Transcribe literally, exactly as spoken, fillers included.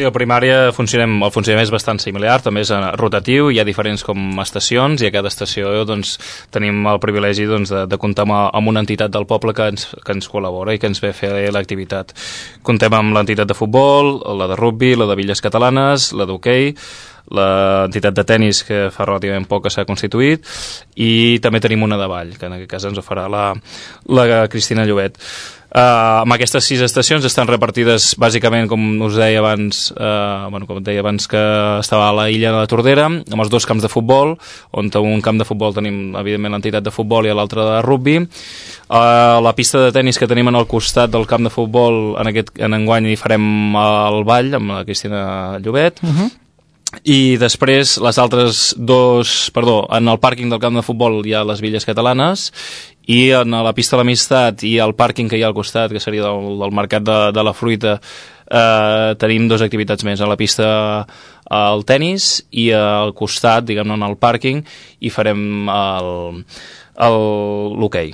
Sí, a primària funcionem, el funcionament és bastant similar, també és rotatiu, hi ha diferents com estacions i a cada estació doncs, tenim el privilegi doncs, de, de comptar amb, amb una entitat del poble que ens, que ens col·labora i que ens ve a fer l'activitat. Comptem amb l'entitat de futbol, la de rugby, la de billes catalanes, la d'hoquei, l'entitat de tennis que fa relativament poc que s'ha constituït i també tenim una de ball, que en aquest cas ens ho farà la, la Cristina Llobet. Uh, amb aquestes sis estacions estan repartides bàsicament, com us deia abans, uh, bueno, com deia abans que estava a la illa de la Tordera, amb els dos camps de futbol, on a un camp de futbol tenim evidentment l'entitat de futbol i a l'altre de rugby. Uh, la pista de tennis que tenim en el costat del camp de futbol, en aquest en enguany hi farem el ball amb la Cristina Llobet. Uh-huh. I després les altres dos, perdó, en el pàrquing del camp de futbol hi ha les Villes Catalanes i en la pista de l'Amistat i el pàrquing que hi ha al costat, que seria del, del Mercat de, de la Fruita, eh, tenim dues activitats més. A la pista el tennis i al costat, diguem-ne, en el pàrquing, hi farem l'hoquei.